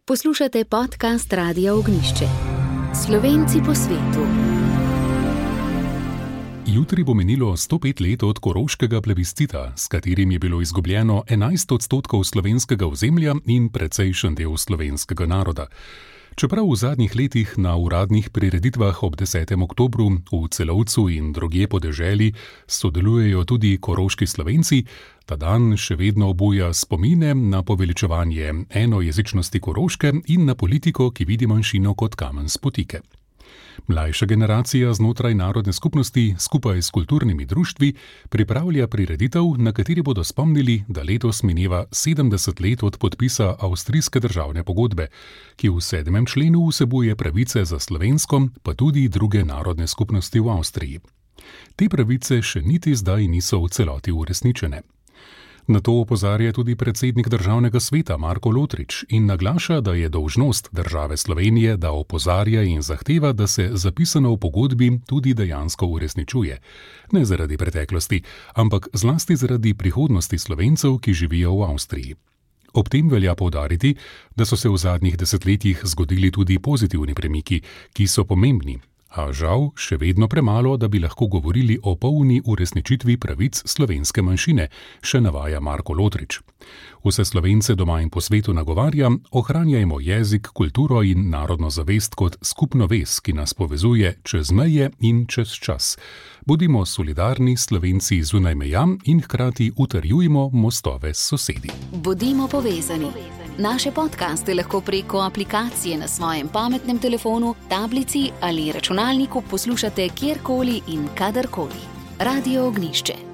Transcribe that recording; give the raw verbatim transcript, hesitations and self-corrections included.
Poslušate podcast Radia Ognjišče. Slovenci po svetu. Jutri bo minilo sto pet let od koroškega plebiscita, s katerim je bilo izgubljeno enajst odstotkov slovenskega ozemlja in precejšen del slovenskega naroda. Čeprav v zadnjih letih na uradnih prireditvah ob desetem oktobru v Celovcu in drugje po deželi sodelujejo tudi koroški Slovenci, ta dan še vedno obuja spomine na poveličevanje enojezičnosti Koroške in na politiko, ki vidi manjšino kot kamen spotike. Mlajša generacija znotraj narodne skupnosti skupaj s kulturnimi društvi pripravlja prireditev, na kateri bodo spomnili, da letos mineva sedemdeset let od podpisa avstrijske državne pogodbe, ki v sedmem členu vsebuje pravice za slovensko, pa tudi druge narodne skupnosti v Avstriji. Te pravice še niti zdaj niso v celoti uresničene. Na to opozarja tudi predsednik državnega sveta Marko Lotrič in naglaša, da je dolžnost države Slovenije, da opozarja in zahteva, da se zapisano v pogodbi tudi dejansko uresničuje. Ne zaradi preteklosti, ampak zlasti zaradi prihodnosti Slovencev, ki živijo v Avstriji. Ob tem velja poudariti, da so se v zadnjih desetletjih zgodili tudi pozitivni premiki, ki so pomembni. A žal še vedno premalo, da bi lahko govorili o polni uresničitvi pravic slovenske manjšine, še navaja Marko Lotrič. Vse Slovence doma in po svetu nagovarja, ohranjajmo jezik, kulturo in narodno zavest kot skupno vez, ki nas povezuje čez meje in čez čas. Bodimo solidarni Slovenci zunaj meja in hkrati utrjujmo mostove s sosedi. Bodimo povezani. Naše podcaste lahko preko aplikacije na svojem pametnem telefonu, tablici ali računalniku poslušate kjerkoli in kadarkoli. Radio Ognjišče.